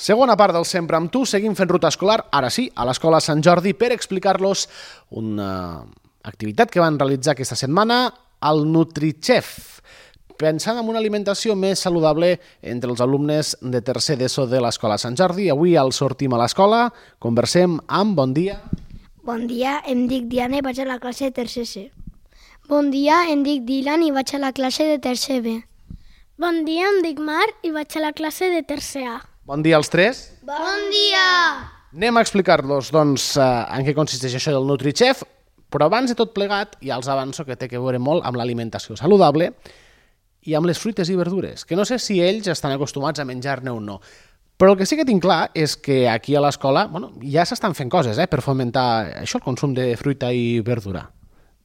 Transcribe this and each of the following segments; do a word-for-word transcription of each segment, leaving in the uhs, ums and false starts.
Segona part del Sempre amb tu, seguim fent ruta escolar, ara sí, a l'Escola Sant Jordi, per explicar-los una activitat que van realitzar aquesta setmana, el NutriChef, pensant en una alimentació més saludable entre els alumnes de tercer d'ESO de l'Escola Sant Jordi. Avui el sortim a l'escola, conversem amb Bon dia. Bon dia, em dic Diana i vaig a la classe de tercer C. Bon dia, em dic Dylan i vaig a la classe de tercer B. Bon dia, em dic Mar i vaig a la classe de tercer A. Bon dia als tres. Bon dia! Anem a explicar-los doncs, en què consisteix això del NutriChef, però abans de tot plegat ja els avanço que té a veure molt amb l'alimentació saludable i amb les fruites i verdures, que no sé si ells estan acostumats a menjar-ne o no. Però el que sí que tinc clar és que aquí a l'escola bueno, ja s'estan fent coses eh, per fomentar això, el consum de fruita i verdura.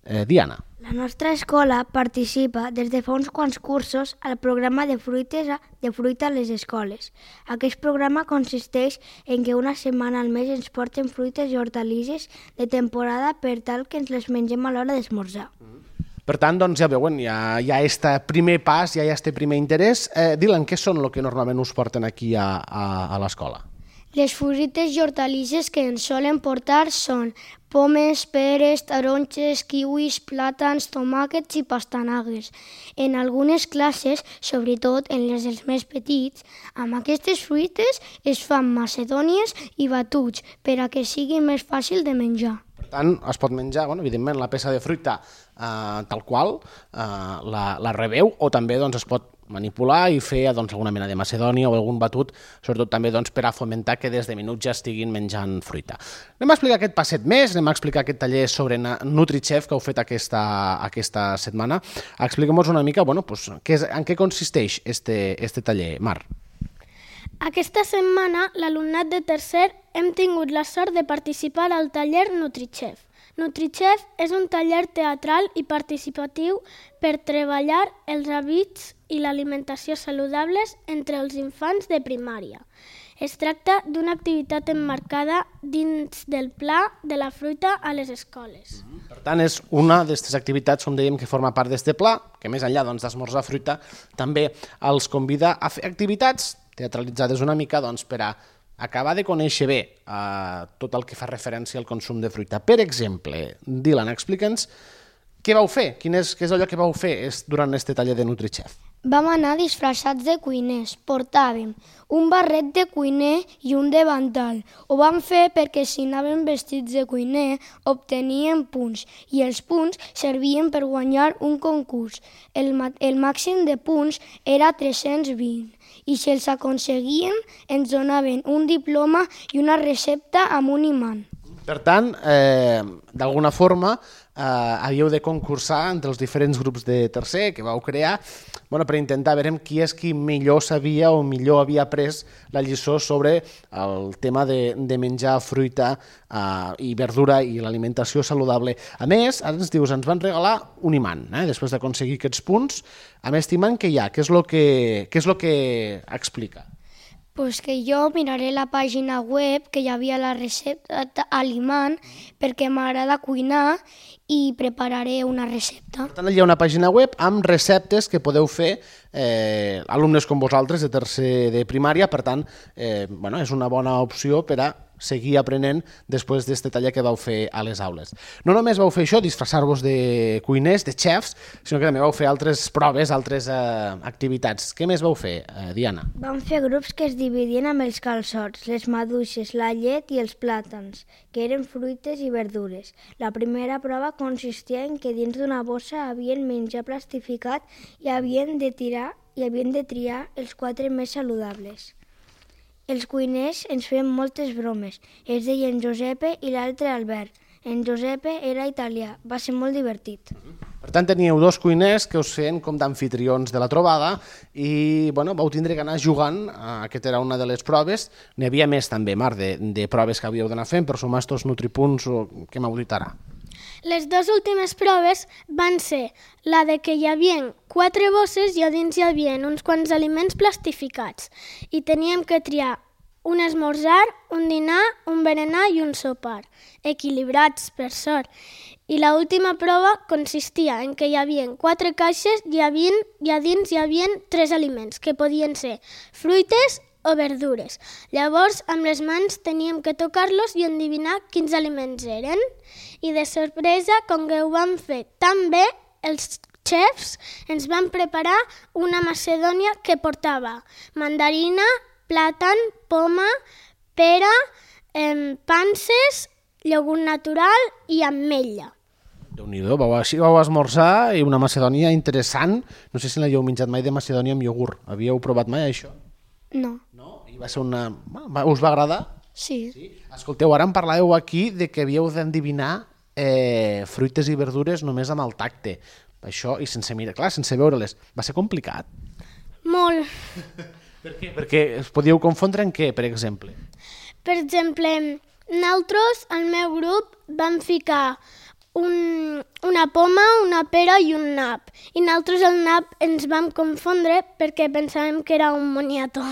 Eh, Diana. La nostra escola participa des de fa uns quants cursos al programa de, fruites a, de fruita a les escoles. Aquest programa consisteix en que una setmana al mes ens porten fruites i hortalisses de temporada per tal que ens les mengem a l'hora d'esmorzar. Per tant, doncs ja veuen, ja hi ha aquest primer pas, ja hi ha aquest primer interès. Eh, Dylan, què són el que normalment us porten aquí a, a, a l'escola? Les fruites i hortalisses que ens solen portar són pomes, peres, taronges, kiwis, plàtans, tomàquets i pastanagues. En algunes classes, sobretot en les dels més petits, amb aquestes fruites es fan macedònies i batuts per a que sigui més fàcil de menjar. Per tant, es pot menjar, bueno, evidentment, la peça de fruita eh, tal qual, eh, la, la rebeu, o també doncs, es pot manipular i fer doncs, alguna mena de macedònia o algun batut, sobretot també doncs, per a fomentar que des de minuts ja estiguin menjant fruita. Anem a explicar aquest passet més, anem a explicar aquest taller sobre NutriChef que heu fet aquesta, aquesta setmana. Expliquem-nos una mica bueno, pues, què és, en què consisteix este, este taller, Mar. Aquesta setmana, l'alumnat de tercer hem tingut la sort de participar al taller NutriChef. NutriChef és un taller teatral i participatiu per treballar els hàbits i l'alimentació saludables entre els infants de primària. Es tracta d'una activitat emmarcada dins del pla de la fruita a les escoles. Per tant, és una d'aquestes activitats, com dèiem, que forma part d'aquest pla, que més enllà doncs, d'esmorzar fruita, també els convida a fer activitats teatralitzades una mica doncs, per a acabar de conèixer bé eh, tot el que fa referència al consum de fruita. Per exemple, Dylan, explica'ns què vau fer, quin és, què és allò que vau fer durant aquest taller de NutriChef. Vam anar disfressats de cuiners. Portàvem un barret de cuiner i un davantal. Ho vam fer perquè si anàvem vestits de cuiner obteníem punts i els punts servien per guanyar un concurs. El, el màxim de punts era tres-cents vint i si els aconseguíem ens donaven un diploma i una recepta amb un imant. Per tant, eh, d'alguna forma, eh, havíeu de concursar entre els diferents grups de tercer que vau crear bueno, per intentar veure qui és qui millor sabia o millor havia après la lliçó sobre el tema de, de menjar fruita eh, i verdura i l'alimentació saludable. A més, ara ens dius, ens van regalar un imant, eh, després d'aconseguir aquests punts. Amb aquest imant què hi ha? Què és el que, què és el que explica? Pues que jo miraré la pàgina web que hi havia la recepta a l'imant perquè m'agrada cuinar i prepararé una recepta. Per tant, hi ha una pàgina web amb receptes que podeu fer eh, alumnes com vosaltres de tercer de primària, per tant, eh, bueno, és una bona opció per a seguir aprenent després d'aquest taller que vau fer a les aules. No només vau fer això, disfressar-vos de cuiners, de xefs, sinó que també vau fer altres proves, altres eh, activitats. Què més vau fer, eh, Diana? Vam fer grups que es dividien amb els calçots, les maduixes, la llet i els plàtans, que eren fruites i verdures. La primera prova consistia en que dins d'una bossa havien menjar plastificat i havien de tirar i havien de triar els quatre més saludables. Els cuiners ens feien moltes bromes. Es deien Giuseppe i l'altre Albert. En Giuseppe era italià. Va ser molt divertit. Per tant, teníeu dos cuiners que us feien com d'anfitrions de la trobada i bueno, vau tindre que anar jugant. Aquesta era una de les proves. N'hi havia més també, Mar, de, de proves que havíeu d'anar fent per sumar estos nutripunts que m'heu dit ara. Les dues últimes proves van ser la de que hi havia quatre bosses i a dins hi havia uns quants aliments plastificats i teníem que triar un esmorzar, un dinar, un berenar i un sopar, equilibrats per sort. I l'última prova consistia en que hi havia quatre caixes i, havia, i a dins hi havia tres aliments que podien ser fruites o verdures. Llavors, amb les mans teníem que tocar-los i endevinar quins aliments eren. I de sorpresa, com que ho vam fer tan bé, els xefs ens van preparar una macedònia que portava mandarina, plàtan, poma, pera, eh, panses, iogurt natural i ametlla. Déu-n'hi-do, vau, així vau esmorzar i una macedònia interessant. No sé si l'havíeu menjat mai de macedònia amb iogurt. Havíeu provat mai això? No. No? I va ser una... Us va agradar? Sí. Sí. Escolteu, ara em parlàveu aquí de que havíeu d'endevinar eh, fruites i verdures només amb el tacte. Això, i sense mirar, clar, sense veure-les. Va ser complicat. Molt. Per què? Perquè es podíeu confondre en què, per exemple? Per exemple, nosaltres, al meu grup, vam ficar un, una poma, una pera i un nap. I nosaltres el nap ens vam confondre perquè pensàvem que era un moniato.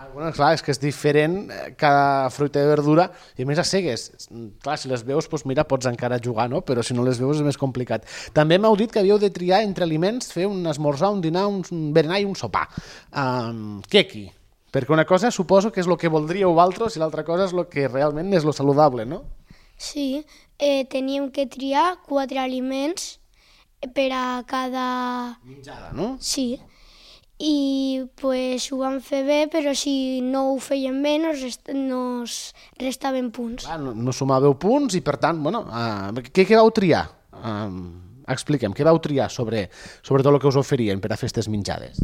Ah, bueno, clar, és que és diferent cada fruita i verdura, i a més a cegues. Clar, si les veus, doncs mira, pots encara jugar, no? Però si no les veus és més complicat. També m'heu dit que havíeu de triar entre aliments, fer un esmorzar, un dinar, un berenar i un sopar. Um, què aquí? Perquè una cosa suposo que és el que voldríeu vosaltres i l'altra cosa és el que realment és lo saludable, no? Sí, eh, teníem que triar quatre aliments per a cada... Menjada, no? Sí, i pues, ho vam fer bé, però si no ho feien bé nos, rest nos restaven punts. Clar, no, no sumàveu punts i per tant, bueno, uh, què, què vau triar? Uh, expliquem, què vau triar sobre, sobre tot el que us oferien per a fer aquestes menjades?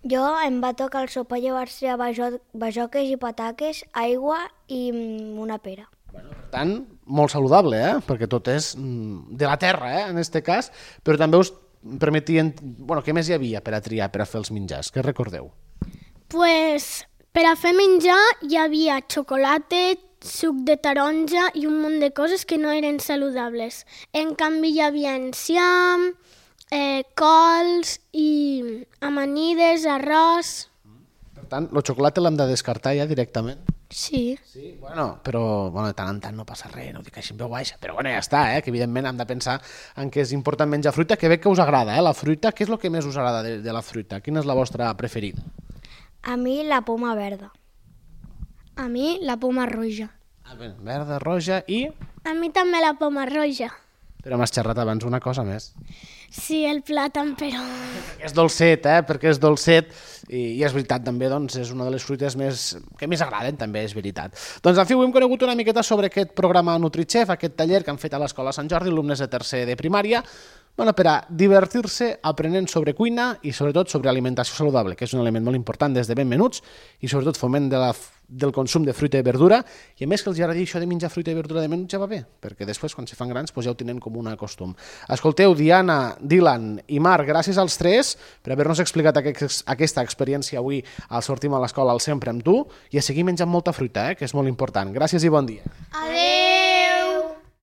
Jo em va tocar el sopar, llavors triar bajo bajoques i pataques, aigua i mm, una pera. Bueno, per tant, molt saludable, eh? Perquè tot és de la terra, eh? En aquest cas, però també us permetien... Bueno, què més hi havia per a triar, per a fer els menjars? Què recordeu? Pues, per a fer menjar hi havia xocolata, suc de taronja i un munt de coses que no eren saludables. En canvi, hi havia enciam, eh, cols i amanides, arròs... Per tant, el xocolata l'hem de descartar ja directament? Sí. Sí, bueno, però bueno, de tant en tant no passa res, no ho dic així en veu baixa, però bueno, ja està, eh? Que evidentment hem de pensar en que és important menjar fruita, que veig que us agrada, eh? La fruita, què és el que més us agrada de, de la fruita? Quina és la vostra preferida? A mi la poma verda. A mi la poma roja. Ah, bé, verda, roja i... A mi també la poma roja. Però m'has xerrat abans una cosa més. Sí, el plàtan, però... És dolcet, eh? Perquè és dolcet i, i és veritat també, doncs, és una de les fruites més, que més agraden també, és veritat. Doncs, en fi, avui hem conegut una miqueta sobre aquest programa NutriChef, aquest taller que han fet a l'Escola Sant Jordi, alumnes de tercer de primària, bueno, per a divertir-se aprenent sobre cuina i sobretot sobre alimentació saludable, que és un element molt important des de ben menuts i sobretot foment de la, del consum de fruita i verdura, i a més que els agradi això de menjar fruita i verdura de menuts ja va bé, perquè després quan se fan grans doncs ja ho tenen com un costum. Escolteu, Diana, Dylan i Marc, gràcies als tres per haver-nos explicat aquest, aquesta experiència avui al Sortim a l'Escola al Sempre amb tu, i a seguir menjant molta fruita, eh, que és molt important. Gràcies i bon dia. Adéu!